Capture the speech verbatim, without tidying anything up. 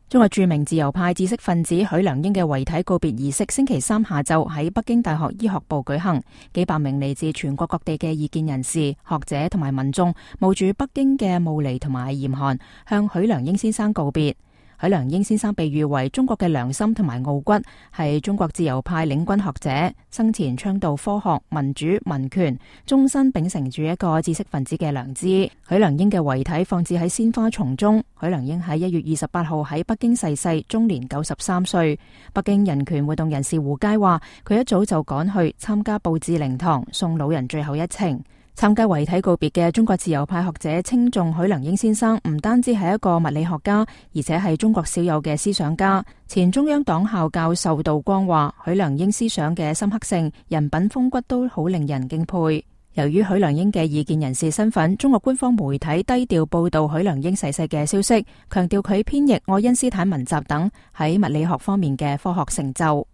中國著名自由派知識分子許良英嘅遺體告別儀式星期三下晝喺北京大學醫學部舉行，幾百名嚟自全國各地嘅異見人士、學者同埋民眾冒住北京嘅霧霾同埋嚴寒，向許良英先生告別。許良英先生被譽為中國嘅良心同埋傲骨，係中國自由派領軍學者，生前倡導科學、民主、民權，終身秉承住一個知識分子嘅良知。許良英嘅遺體放置喺鮮花叢中。許良英喺一月二十八號喺北京逝世，終年九十三歲。北京人權活動人士胡佳話，佢一早就趕去參加布置靈堂，送老人最後一程。參加遺體告別嘅中國自由派學者稱頌許良英先生唔單止係一個物理學家，而且係中國少有嘅思想家。前中央黨校教授杜光話，許良英思想嘅深刻性、人品風骨都好令人敬佩。由於許良英嘅異見人士身份，中國官方媒體低調報道許良英逝世嘅消息，強調佢編譯愛因斯坦文集等喺物理學方面嘅科學成就。